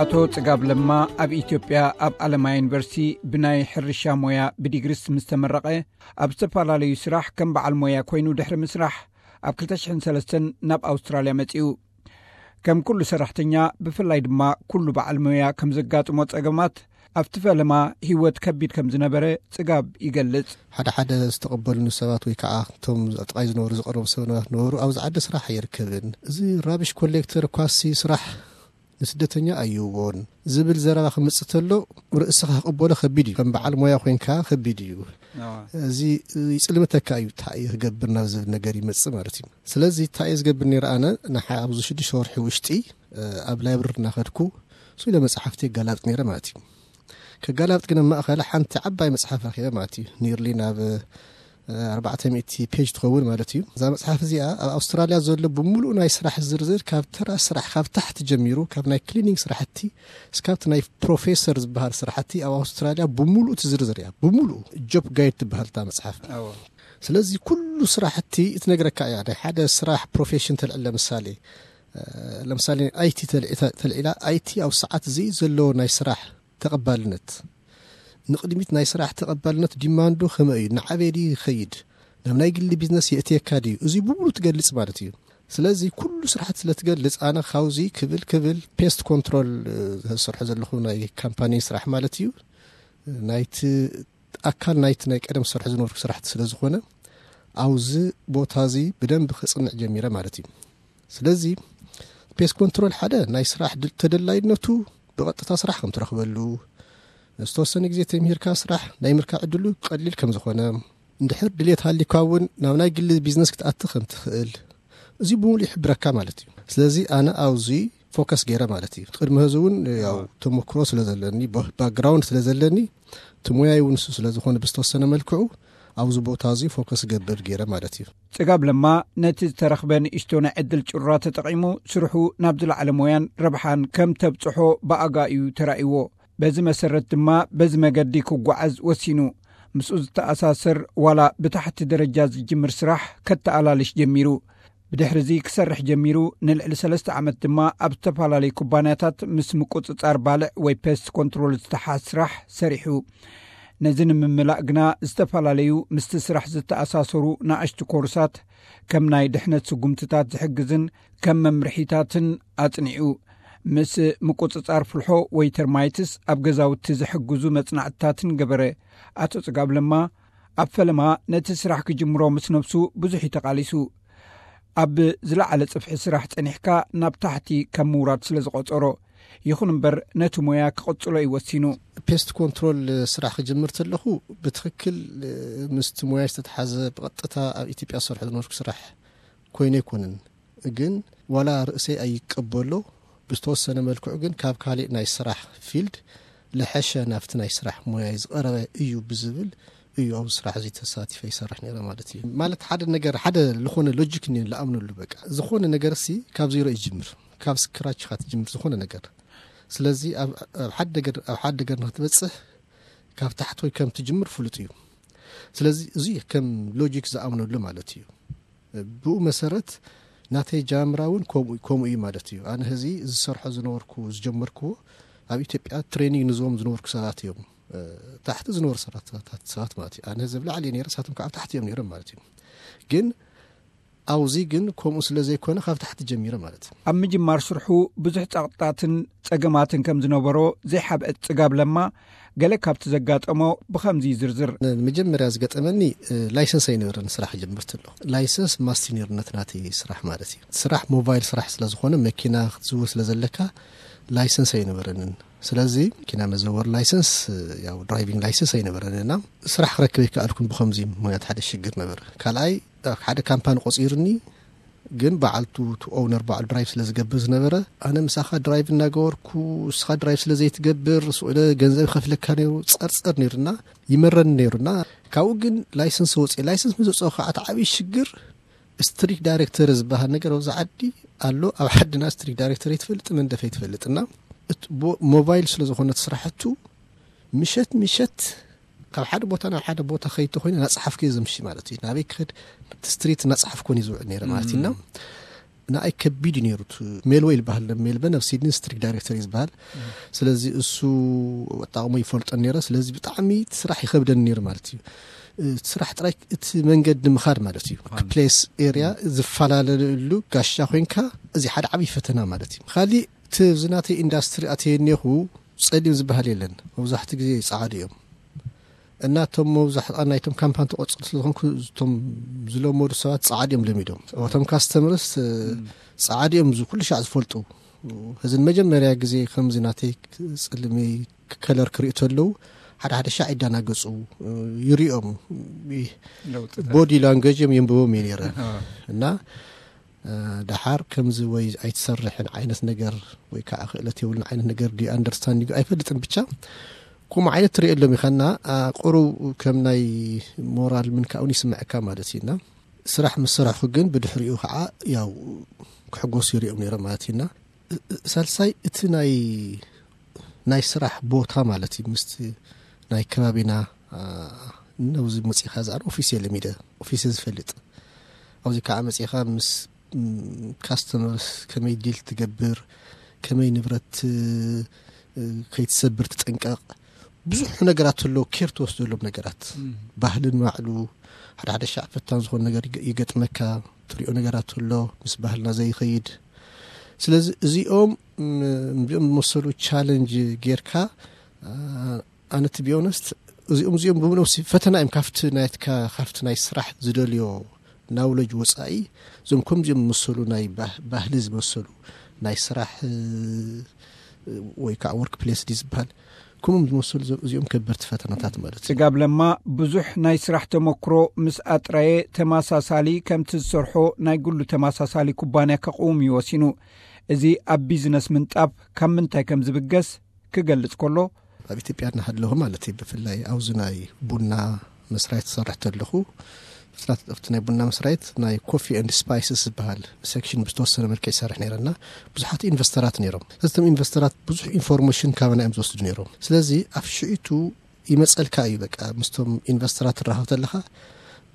ኣቶ ጽጋብ ለማ ኣብ ኢትዮጵያ ኣብ ኣለማ ዩኒቨርሲቲ ብናይ ሕርሻ ሞያ ብዲግሪስ ምስ ተመረቐ፣ ኣብ ዝተፈላለዩ ስራሕ ከም በዓል ሞያ ኮይኑ ድሕሪ ምስራሕ፣ ኣብ ክልተ ሽሕን ሰለስተን ናብ ኣውስትራልያ መጺኡ። ከም ኩሉ ሰራሕተኛ፣ ብፍላይ ድማ ኩሉ በዓል ሞያ ከም ዘጋጥሞ ጸገማት፣ ኣብቲ ፈለማ ህይወት ከቢድ ከም ዝነበረ ጽጋብ ይገልጽ። ሓደ ሓደ ዝተቐበሉኒ ሰባት ወይ ከዓ እቶም ኣብ ጥቓይ ዝነበሩ ዝቐረቡ ሰባት ነበሩ፣ "ኣብዚ ዓዲ ስራሕ ኣይርከብን፣ እዚ ራብሽ ኮሌክተር እኳሲ ስራሕ ንስደተኛ ኣይህቦን" ዝብል ዘረባ ክመጽእ ተሎ፣ ርእስኻ ክቕበሎ ከቢድ እዩ። ከም በዓል ሞያ ኮይንካ ከቢድ እዩ። እዚ ይጽልምተካ እዩ፣ እንታይ እየ ክገብር ናብ ዝብል ነገር ይመጽእ ማለት እዩ። ስለዚ እንታይ እየ ዝገብር ነይረ? ኣነ ንሓ ኣብዚ ሽዱሽተ ወርሒ ውሽጢ፣ እ፣ ኣብ ላይብረሪ እናኸድኩ ስለ መጽሓፍቲ ይጋላጥ ነይረ ማለት እዩ። ከጋላብጥ ግን ኣብ ማእኸል ሓንቲ ዓባይ መጽሓፍ ረኺበ ማለት እዩ። ኒርሊ ናብ፣ እ፣ ኣርባዕተ ሚእቲ ፔጅ ትኸውን ማለት እዩ። እዛ መጽሓፍ እዚኣ ኣብ ኣውስትራልያ ዘሎ ብምሉእ ናይ ስራሕ ዝርዝር፣ ካብ ተራ ስራሕ፣ ካብ ታሕቲ ጀሚሩ፣ ካብ ናይ ክሊኒንግ ስራሕቲ እስካብቲ ናይ ፕሮፌሰር ዝበሃል ስራሕቲ ኣብ ኣውስትራልያ ብምሉእ ትዝርዝር እያ። ብምሉእ ጆብ ጋይድ ትበሃል እታ መጽሓፍ። ስለዚ ኩሉ ስራሕቲ እትነግረካ እያ። ናይ ሓደ ስራሕ ፕሮፌሽን ተልዕል፣ ለምሳሌ፣ እ፣ ለምሳሌ ኣይቲ ተልዒ-፣ ተልዒላ፣ ኣይቲ ኣብ ሰዓት እዚ ዘለዎ ናይ ስራሕ ተቐባልነት፣ ንቕድሚት ናይ ስራሕ ተቐባልነት ዲማንዱ ከመይ እዩ፣ ንዓበይ ድዩ ይኸይድ፣ ናብ ናይ ግሊ ቢዝነስ የእትየካ ድዩ፣ እዚ ብምሉእ ትገልጽ ማለት እዩ። ስለዚ ኩሉ ስራሕቲ ስለ ትገልጽ፣ ኣነ ካብዚ ክብል ክብል ፔስት ኮንትሮል፣ እ፣ ዝሰርሖ ዘለኹ ናይ ካምፓኒ ስራሕ ማለት እዩ፣ ናይቲ ኣካል ናይቲ ናይ ቀደም ዝሰርሖ ዝነበርኩ ስራሕቲ ስለ ዝኾነ፣ ኣብዚ ቦታ እዚ ብደንብ ክጽንዕ ጀሚረ ማለት እዩ። ስለዚ ፔስት ኮንትሮል ሓደ ናይ ስራሕ ድል-፣ ተደላይነቱ ብቐጥታ ስራሕ ከም ትረኽበሉ፣ ዝተወሰነ ግዜ ተምሂርካ ስራሕ ናይ ምርካብ ዕድሉ ቀሊል ከም ዝኾነ፣ እንድሕር ድሌት ሃሊካ እውን ናብ ናይ ግሊ ቢዝነስ ክትኣቲ ከም ትኽእል፣ እዚ ብምሉእ ይሕብረካ ማለት እዩ። ስለዚ ኣነ ኣብዚ ፎከስ ገይረ ማለት እዩ። ቅድሚ ሕዚ እውን ያው ተሞክሮ ስለ ዘለኒ፣ ባ-፣ ባክግራውንድ ስለ ዘለኒ፣ እቲ ሞያይ እውን እሱ ስለ ዝኾነ ብዝተወሰነ መልክዑ ኣብዚ ቦታ እዚ ፎከስ ገብር ገይረ ማለት እዩ። ጽጋብ ለማ ነቲ ዝተረኽበ ንእሽቶ ናይ ዕድል ጭራ ተጠቒሙ፣ ስርሑ ናብ ዝለዓለ ሞያን ረብሓን ከም ተብጽሖ ብኣጋ እዩ ተራእይዎ። በዚ መሰረት ድማ በዚ መገዲ ክጓዓዝ ወሲኑ። ምስኡ ዝተኣሳሰር ዋላ ብታሕቲ ደረጃ ዝጅምር ስራሕ ከተኣላልሽ ጀሚሩ። ብድሕሪ እዚ ክሰርሕ ጀሚሩ፣ ንልዕሊ ሰለስተ ዓመት ድማ ኣብ ዝተፈላለዩ ኩባንያታት ምስ ምቁጽጻር ባልዕ ወይ ፔስት ኮንትሮል ዝተሓዝ ስራሕ ሰሪሑ። ነዚ ንምምላእ ግና ዝተፈላለዩ ምስቲ ስራሕ ዝተኣሳሰሩ ንኣሽቱ ኮርሳት፣ ከም ናይ ድሕነት ስጉምትታት ዝሕግዝን ከም መምርሒታትን ኣጽኒዑ። ምስ ምቁጽጻር ፍልሖ ወይ ተርማይትስ ኣብ ገዛውቲ ዝሕግዙ መጽናዕትታትን ገበረ። ኣቶ ጽጋብ ለማ ኣብ ፈለማ ነቲ ስራሕ ክጅምሮ ምስ ነብሱ ብዙሕ እዩ ተቓሊሱ። ኣብ ዝለዓለ ጽፍሒ ስራሕ ጸኒሕካ ናብ ታሕቲ ከም ምውራድ ስለ ዝቖጸሮ። ይኹን እምበር ነቲ ሞያ ክቕጽሎ እዩ ወሲኑ። ፔስት ኮንትሮል ስራሕ ክጅምር ተለኹ ብትኽክል ምስቲ ሞያ ዝተተሓዘ ብቐጥታ ኣብ ኢትዮጵያ ዝሰርሖ ዝነበርኩ ስራሕ ኮይኑ ኣይኮነን። ግን ዋላ ርእሰይ ኣይቀበሎ፣ ብዝተወሰነ መልክዑ ግን ካብ ካሊእ ናይ ስራሕ ፊልድ ለሐሸ ናብቲ ናይ ስራሕ ሞያይ ዝቐረበ እዩ ብዝብል እዩ ኣብዚ ስራሕ እዚ ተሳቲፈ ይሰርሕ ነይረ ማለት እዩ። ማለት ሓደ ነገር፣ ሓደ ዝኾነ ሎጂክ እኒኦ ዝኣምነሉ፣ በቃ ዝኾነ ነገር ሲ ካብ ዜሮ ይጅምር፣ ካብ ስክራች ኢኻ ትጅምር ዝኾነ ነገር። ስለዚ ኣብ፣ ኣብ ሓደ ነገር፣ ኣብ ሓደ ነገር ንክትበጽሕ ካብ ታሕቲ ወይ ከም ትጅምር ፍሉጥ እዩ። ስለዚ እዚ ከም ሎጂክ ዝኣምነሉ ማለት እዩ። ብኡ መሰረት ናተይ ጃምራ እውን ከምኡ፣ ከምኡ እዩ ማለት እዩ። ኣነ ህዚ ዝሰርሖ ዝነበርኩ፣ ዝጀመርኩዎ ኣብ ኢትዮጵያ ትሬኒንግ ንዝቦም ዝነበርኩ ሰባት እዮም። እ፣ ታሕቲ ዝነበሩ ሰባት፣ ሰባት፣ ሰባት ማለት እዩ። ኣነ ህዚ ኣብ ላዕሊ እየ ነይረ፣ ንሳቶም ከዓ ኣብ ታሕቲ እዮም ነይሮም ማለት እዩ። ግን ኣብዚ ግን ከምኡ ስለ ዘይኮነ ካብ ታሕቲ ጀሚረ ማለት እዩ። ኣብ ምጅማር ስርሑ ብዙሕ ጸቕጥታትን ጸገማትን ከም ዝነበሮ ዘይሓብአ ጽጋብ ለማ፣ ገለ ካብቲ ዘጋጠሞ ብኸምዚ ይዝርዝር። መጀመርያ ዝገጠመኒ፣ እ፣ ላይሰንስ ኣይነበረን ስራሕ ጀምር ተለኹ። ላይሰንስ ማስት ነይሩ ነቲ ናተይ ስራሕ ማለት እዩ። ስራሕ ሞባይል ስራሕ ስለ ዝኾነ መኪና ክትዝውር ስለ ዘለካ ላይሰንስ ኣይነበረንን። ስለዚ መኪና መዘወር ላይሰንስ፣ እ፣ ያው ድራይቪንግ ላይሰንስ ኣይነበረንና። ስራሕ ክረክብ ኣይከኣልኩን ብኸምዚ ምኽንያት ሓደ ሽግር ነበረ። ካልኣይ፣ እ፣ ሓደ ካምፓኒ ቆጺሩኒ፣ ግን በዓልቱ፣ እቲ ኦውነር በዓል ድራይቭ ስለ ዝገብር ዝነበረ፣ ኣነ ምሳኻ ድራይቭ እናገበርኩ፣ ንስኻ ድራይቭ ስለ ዘይትገብር፣ ስኡለ ገንዘብ ይኸፍለካ ነይሩ፣ ጸርጸር ነይሩና፣ ይመረኒ ነይሩና። ካብኡ ግን ላይሰንስ ወፅየ። ላይሰንስ ምስ ወፅኦ ከዓ እቲ ዓብዪ ሽግር ስትሪት ዳይሬክተር ዝበሃል ነገር ኣብዚ ዓዲ ኣሎ። ኣብ ዓድና ስትሪት ዳይሬክተር ኣይትፈልጥ፣ መንደፍ ኣይትፈልጥ። እና እቲ ቦ-፣ ሞባይል ስለ ዝኾነት ስራሕቱ፣ ምሸት ምሸት ካብ ሓደ ቦታ ናብ ሓደ ቦታ ከይድ ተኮይነ እናፀሓፍኩ እየ ዘምሺ ማለት እዩ። ናበይ ክኸድ፣ እቲ ስትሪት እናፀሓፍኩ እየ ዝውዕል ነይረ ማለት እዩ። እና ንኣይ ከቢድ እዩ ነይሩ። እቲ ሜልወይ ዝበሃል፣ ሜልበን ኣብ ሲድኒ ስትሪክ ዳይሬክተር እዩ ዝበሃል። ስለዚ እሱ ኣጣቕሞ ይፈልጦ ነይረ። ስለዚ ብጣዕሚ እቲ ስራሕ ይኸብደኒ ነይሩ ማለት እዩ። እቲ ስራሕ ጥራይ፣ እቲ መንገዲ ምኻድ ማለት እዩ። ፕሌስ ኤርያ ዝፈላለለሉ ጋሻ ኮይንካ፣ እዚ ሓደ ዓብዪ ፈተና ማለት እዩ። ካሊእ እቲ ኣብዚ ናተይ ኢንዳስትሪ ኣተየ እኒኹ፣ ጸሊም ዝበሃል የለን። መብዛሕትኡ ግዜ ጻዕዱ እዮም። እና እቶም መብዛሕትኣ ናይቶም ካምፓኒ ተቆጽር ስለዝኾንኩ፣ እቶም ዝለመዱ ሰባት ጻዕድ እዮም ለሚዶም። እቶም ካስተመርስ ጻዕድ እዮም፣ ኩሉ ሻዕ ዝፈልጡ። እዚ መጀመርያ ግዜ ከምዚ ናተይ ጽልሚ ከለር ክርእዩ ተለዉ፣ ሓደ ሓደ ሻዕ ይዳናገጹ። ይሪኦም፣ ቦዲ ላንገጅ እዮም፣ የንብቦም እዩ ነይረ። እና ደሓር ከምዚ ወይ ኣይትሰርሕን ዓይነት ነገር ወይ ከዓ ክእለት የብሉን ዓይነት ነገር ድዩ ኣንደርስታንዲንግ ኣይፈልጥን። ብቻ ከምኡ ዓይነት ትሪኦ ኣሎም ኢኻና፣ ቁሩብ ከም ናይ ሞራል ምንካውን ይስምዐካ ማለት እዩና። ስራሕ ምስ ሰራሕኩ ግን ብድሕሪኡ ከዓ ያው ክሕጎስ ይሪኦም ነይረ ማለት እዩና። ሳልሳይ እቲ ናይ ናይ ስራሕ ቦታ ማለት እዩ። ምስቲ ናይ ከባቢና ነውዚ መፂኻ ዝኣን ኦፊስ የለሚደ ኦፊስ ዝፈልጥ ኣብዚ ከዓ መፂኻ ምስ ካስተመርስ ከመይ ዲል ትገብር፣ ከመይ ንብረት ከይትሰብር ትጠንቀቕ፣ ብዙሕ ነገራት ኣሎ። ኬር ትወስደሎም ነገራት፣ ባህልን ማዕሉ ሓደ ሓደ ሻዕ ፈታን ዝኾነ ነገር ይገጥመካ። ትሪኦ ነገራት ኣሎ፣ ምስ ባህልና ዘይኸይድ። ስለዚ እዚኦም እዚኦም ዝመሰሉ ቻለንጅ ጌርካ፣ ኣነ ቲ ቢኦነስት እዚኦም እዚኦም ብምሎም ፈተና እዮም። ካብቲ ናይትካ ካብቲ ናይ ስራሕ ዝደልዮ ናውለጅ ወፃኢ፣ እዞም ከምዚኦም ዝመሰሉ ናይ ባህሊ ዝመሰሉ ናይ ስራሕ ወይ ከዓ ወርክ ፕሌስ ዲ ዝበሃል፣ ከምም ዝመሰሉ እዚኦም ከበርቲ ፈተናታት ማለት እዩ። ጽጋብ ለማ ብዙሕ ናይ ስራሕ ተመክሮ ምስ ኣጥረየ፣ ተመሳሳሊ ከምቲ ዝሰርሖ ናይ ግሉ ተመሳሳሊ ኩባንያ ከቕውም እዩ ወሲኑ። እዚ ኣብ ቢዝነስ ምንጣፍ ካብ ምንታይ ከም ዝብገስ ክገልጽ ከሎ፣ ኣብ ኢትዮጵያ እናሃለኹ ማለት እዩ፣ ብፍላይ ኣብዚ ናይ ቡና መስራይት ዝሰርሕ ተለኹ፣ ኣብቲ ናይ ቡና መስራይት ናይ ኮፊ ኤንድ ስፓይስስ ዝበሃል ሴክሽን ብዝተወሰነ መልክዕ ይሰርሕ ነይረና። ብዙሓት ኢንቨስተራት ነይሮም። እቶም ኢንቨስተራት ብዙሕ ኢንፎርሜሽን ካባና እዮም ዝወስዱ ነይሮም። ስለዚ ኣብ ሽዒቱ ይመፀልካ እዩ። በቃ ምስቶም ኢንቨስተራት ትራኸብ ተለኻ፣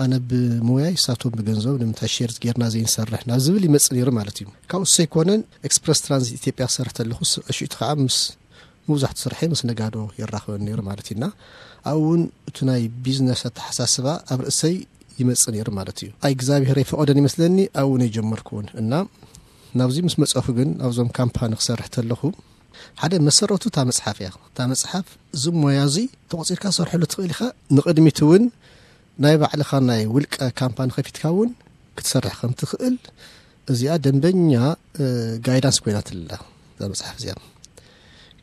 ኣነ ብሞያይ፣ እሳቶም ብገንዘብ፣ ንምንታይ ሼር ጌርና ዘይንሰርሕ ናብ ዝብል ይመፅእ ነይሩ ማለት እዩ። ካብኡ ሰይኮነን ኤክስፕረስ ትራንዚት ኢትዮጵያ ክሰርሕ ተለኹ፣ ሽዒቱ ከዓ ምስ መብዛሕቱ ስርሐይ ምስ ነጋዶ ይራኸበን ነይሩ ማለት እዩና። ኣብኡ እውን እቲ ናይ ቢዝነስ ኣተሓሳስባ ኣብ ርእሰይ ይመጽእ ነይሩ ማለት እዩ። ኣይ እግዚኣብሔር ኣይፈቐደን ይመስለኒ፣ ኣብኡ ነይ ጀመርኩውን እና ናብዚ ምስ መጸኹ ግን ኣብዞም ካምፓኒ ክሰርሕ ተለኹ ሓደ መሰረቱ እታ መጽሓፍ እያ። እታ መጽሓፍ እዚ ሞያ እዚ ተቖጺርካ ሰርሐሉ ትኽእል ኢኻ። ንቕድሚት እውን ናይ ባዕልኻ ናይ ውልቀ ካምፓኒ ከፊትካ እውን ክትሰርሕ ከም ትኽእል እዚኣ ደንበኛ ጋይዳንስ ኮይናትላ እዛ መጽሓፍ እዚኣ።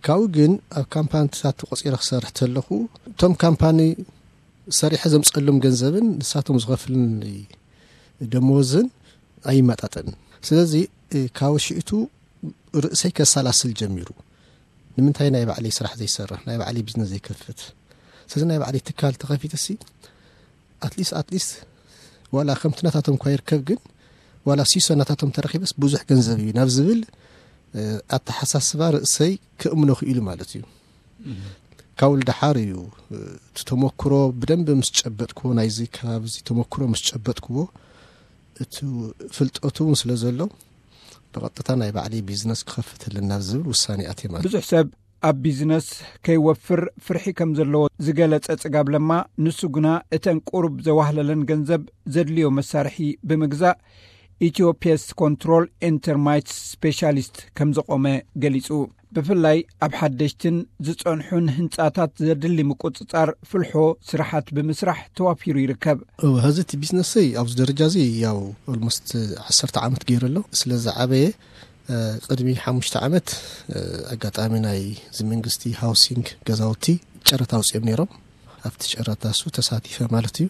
ካብኡ ግን ኣብ ካምፓኒታት ተቖጺረ ክሰርሕ ተለኹ እቶም ካምፓኒ ሰሪሐ ዘምፀሎም ገንዘብን ንሳቶም ዝኸፍልን ደመወዝን ኣይመጣጠንን። ስለዚ ካብ ሽእቱ ርእሰይ ከሰላስል ጀሚሩ። ንምንታይ ናይ ባዕለይ ስራሕ ዘይሰርሕ፣ ናይ ባዕለይ ቢዝነስ ዘይከፍት? ስለዚ ናይ ባዕለይ ትካል ተኸፊተ ሲ ኣትሊስት ኣትሊስት ዋላ ከምቲ ናታቶም እኳ ይርከብ ግን ዋላ ሲሶ ናታቶም ተረኺበስ ብዙሕ ገንዘብ እዩ ናብ ዝብል ኣተሓሳስባ ርእሰይ ክእምኖ ክኢሉ ማለት እዩ። ካብ ደሓር እዩ እቲ ተመክሮ ብደንብ ምስ ጨበጥክዎ፣ ናይዚ ከባቢ እዚ ተመክሮ ምስ ጨበጥክዎ፣ እቲ ፍልጠቱ እውን ስለ ዘሎ ብቐጥታ ናይ ባዕለይ ቢዝነስ ክኸፍት ኣለና ዝብል ውሳኔ ኣትየ ማለት። ብዙሕ ሰብ ኣብ ቢዝነስ ከይወፍር ፍርሒ ከም ዘለዎ ዝገለጸ ጽጋብ ለማ፣ ንሱ ግና እተን ቁሩብ ዘዋህለለን ገንዘብ ዘድልዮ መሳርሒ ብምግዛእ ኢትዮ ፔስት ኮንትሮል ኤንድ ተርማይትስ ስፔሻሊስት ከም ዘቖመ ገሊጹ። ብፍላይ ኣብ ሓደሽትን ዝጸንሑን ህንጻታት ዘድሊ ምቁጽጻር ፍልሖ ስራሓት ብምስራሕ ተዋፊሩ ይርከብ። እወ፣ ሀዚ እቲ ቢዝነሰይ ኣብዚ ደረጃ እዚ ያው ኦልሞስት ዓሰርተ ዓመት ገይሩ ኣሎ። ስለ ዝዓበየ፣ እ፣ ቅድሚ ሓሙሽተ ዓመት፣ እ፣ ኣጋጣሚ ናይ እዚ መንግስቲ ሃውሲንግ ገዛውቲ ጨረታ ኣውፅኦም ነይሮም። ኣብቲ ጨረታ እሱ ተሳቲፈ ማለት እዩ።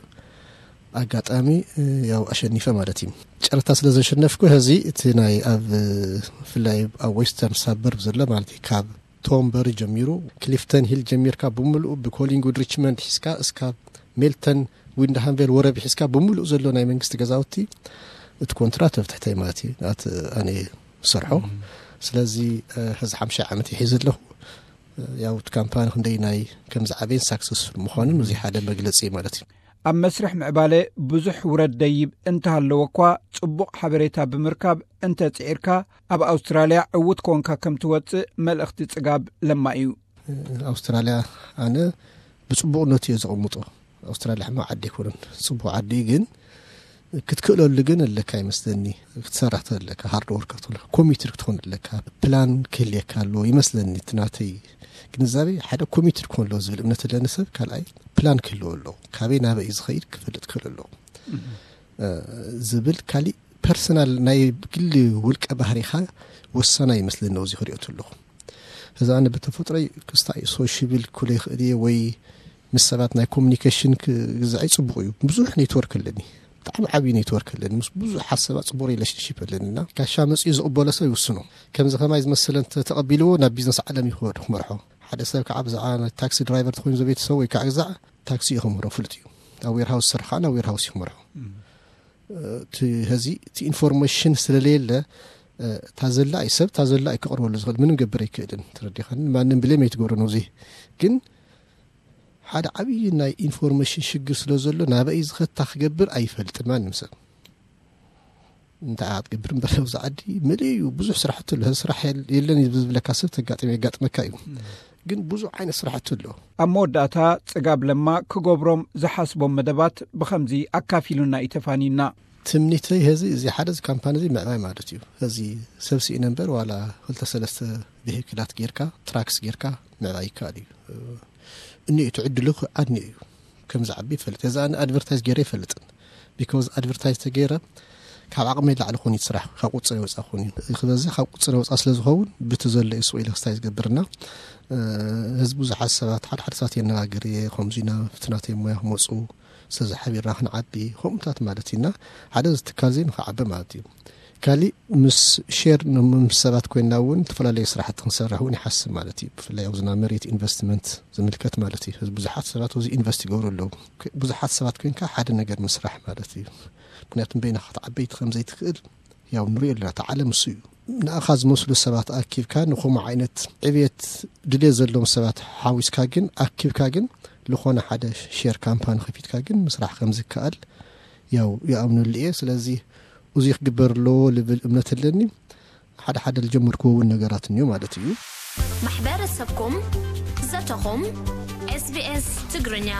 ኣጋጣሚ፣ እ፣ ያው ኣሸኒፈ ማለት እዩ። ጨረታ ስለ ዘሸነፍኩ ሀዚ እቲ ናይ ኣብ፣ እ፣ ብፍላይ ኣብ ዌስተርን ሳበርብ ዘሎ ማለት እዩ፣ ካብ ቶምበሪ ጀሚሩ፣ ክሊፍተን ሂል ጀሚርካ ብምሉኡ ብኮሊንግውድ ሪችመንድ ሒዝካ እስካብ ሜልተን ዊንድሃንቬል ወረቢ ሒዝካ ብምሉኡ ዘሎ ናይ መንግስቲ ገዛውቲ እቲ ኮንትራት ኣብ ትሕተይ ማለት እዩ። ናት ኣነ ዝሰርሖ። እም። ስለዚ፣ እ፣ ሀዚ ሓምሻይ ዓመት ይሒዝ ኣለኹ። እ፣ ያው እቲ ካምፓኒ ክንደይ ናይ ከም ዝዓበየን ሳክሰስፉል ምዃኑን እዚ ሓደ መግለጺ ማለት እዩ። ኣብ መስርሕ ምዕባለ ብዙሕ ውረድ ደይብ እንተሃለወ እኳ፣ ጽቡቕ ሓበሬታ ብምርካብ እንተጽዒርካ፣ ኣብ ኣውስትራልያ ዕዉት ኮንካ ከም ትወጽእ መልእኽቲ ጽጋብ ለማ እዩ። ኣውስትራልያ ኣነ ብጽቡቕነቱ እየ ዘቐምጦ። ኣውስትራልያ ሕማቕ ዓዲ ኣይኮነን፣ ጽቡቕ ዓዲ እዩ። ግን ክትክእለሉ ግን ኣለካ ይመስለኒ፣ ክትሰርሕ ኣለካ፣ ሃርድ ወርከር ትኾን፣ ኮሚትድ ክትኾን ኣለካ፣ ፕላን ክህልየካ ኣለዎ ይመስለኒ። እቲ ናተይ ግንዛቤ ሓደ ኮሚትድ ክኾን ኣለዎ ዝብል እምነት ኣለኒ ሰብ። ካልኣይ ፕላን ክህልዎ ኣለዎ፣ ካበይ ናበይ ዝኸይድ ክፈልጥ ክህል ኣለዎ ዝብል ካሊእ ፐርሰናል ናይ ግሊ ውልቀ ባህሪኻ ወሳናይ ይመስለኒ። እዚ ክሪኦ ኣለኹ፣ እዚ ኣነ ብተፈጥሮይ ክስታይ ሶሽብል ክሎ ይኽእል እየ ወይ ምስ ሰባት ናይ ኮሚኒኬሽን ክግዛዕ ጽቡቕ እዩ። ብዙሕ ኔትወርክ ኣለኒ፣ ብጣዕሚ ዓብዪ ኔትወርክ ኣለኒ፣ ምስ ብዙሓት ሰባት ጽቡቕ ሪሌሽንሽፕ ኣለኒ። እና ጋሻ መጺኡ ዝቕበሎ ሰብ ይውስኖ። ከምዚ ከማይ ዝመስለ እንተ ተቐቢልዎ ናብ ቢዝነስ ዓለም ይኸወድ ክመርሖ። ሓደ ሰብ ከዓ ብዛዕባ ናይ ታክሲ ድራይቨር ተኾይኑ ዘቤተሰብ ወይ ከዓ ግዛዕ ታክሲ እዩ ክምህሮ ፍሉጥ እዩ። ኣብ ዌርሃውስ ዝሰርሕ ከዓ ናብ ዌርሃውስ እዩ ክመርሖ። እቲ ሀዚ እቲ ኢንፎርሜሽን ስለለየለ እታ ዘላ እዩ ሰብ እታ ዘላ እዩ ክቕርበሉ ዝኽእል፣ ምንም ገብር ኣይክእልን። ተረዲኻን? ማንም ብሌም ኣይትገብሮ ነዚ። ግን ሓደ ዓብዪ ናይ ኢንፎርሜሽን ሽግር ስለ ዘሎ ናበይ ዝኸታ ክገብር ኣይፈልጥን ማንም ሰብ። እንታይ ክትገብር እምበር ኣብዚ ዓዲ መሊኡ እዩ፣ ብዙሕ ስራሕቲ ኣሎ። ስራሕ የል- የለን እዩ ዝብለካ ሰብ ተጋጥም የጋጥመካ እዩ። ግን ብዙሕ ዓይነት ስራሕቲ ኣሎ። ኣብ መወዳእታ ጽጋብ ለማ ክገብሮም ዝሓስቦም መደባት ብኸምዚ ኣካፊሉና እዩ ተፋንዩና። ትምኒተይ ሀዚ እዚ ሓደ እዚ ካምፓኒ እዚ ምዕባይ ማለት እዩ። ሀዚ ሰብ ስኢነ እምበር ዋላ ክልተ ሰለስተ ቪሂክላት ጌርካ ትራክስ ጌርካ ምዕባይ ይከኣል እዩ። እኒ እቲ ዕድሉ ኣድኒ እዩ። ከም ዝዓቢ ይፈልጥ። እዚ ኣነ ኣድቨርታይዝ ገይረ ይፈልጥን። ቢካዝ ኣድቨርታይዝ ተገይረ ካብ ዓቕመይ ላዕሊ ኾን ስራሕ ካብ ቁፅር ወፃ ኾን እዩ። እዚ ክበዝሕ ካብ ቁፅር ወፃ ስለ ዝኸውን ብቲ ዘሎ እዩ ሱቕ ኢለ ክስታይ ዝገብርና። ህዝቡ ብዙሓት ሰባት ሓደ ሓደ ሰባት የነጋግር እየ፣ ከምዚ ኢና ብቲ ናተይ ሞያ ክመፁ ስለዚ ሓቢርና ክንዓቢ ከምኡታት ማለት ኢና። ሓደ እዚ ትካል እዚ ንክዓቢ ማለት እዩ። ካሊእ ምስ ሼር ምስ ሰባት ኮይና እውን ዝተፈላለዩ ስራሕቲ ክንሰርሕ እውን ይሓስብ ማለት እዩ። ብፍላይ ኣብዚ ናብ መሬት ኢንቨስትመንት ዝምልከት ማለት እዩ። እዚ ብዙሓት ሰባት ኣብዚ ኢንቨስት ይገብሩ ኣለዉ። ብዙሓት ሰባት ኮይንካ ሓደ ነገር ምስራሕ ማለት እዩ። ምክንያቱም በይንኻ ክትዓበይቲ ከም ዘይትኽእል ያው ንሪኦ ኣለና። እቲ ዓለም እሱ እዩ። ንኣኻ ዝመስሉ ሰባት ኣኪብካ ንኸምኡ ዓይነት ዕብየት ድልየት ዘለዎም ሰባት ሓዊስካ ግን ኣኪብካ ግን ዝኾነ ሓደ ሼር ካምፓኒ ከፊትካ ግን ምስራሕ ከም ዝከኣል ያው ይኣምነሉ እየ። ስለዚ እዚ ክግበር ኣለዎ ልብል እምነት ኣለኒ። ሓደ ሓደ ዝጀመርክዎ እውን ነገራት እኒኦ ማለት እዩ። ማሕበረሰብኩም ዘተኹም ኤስቢኤስ ትግርኛ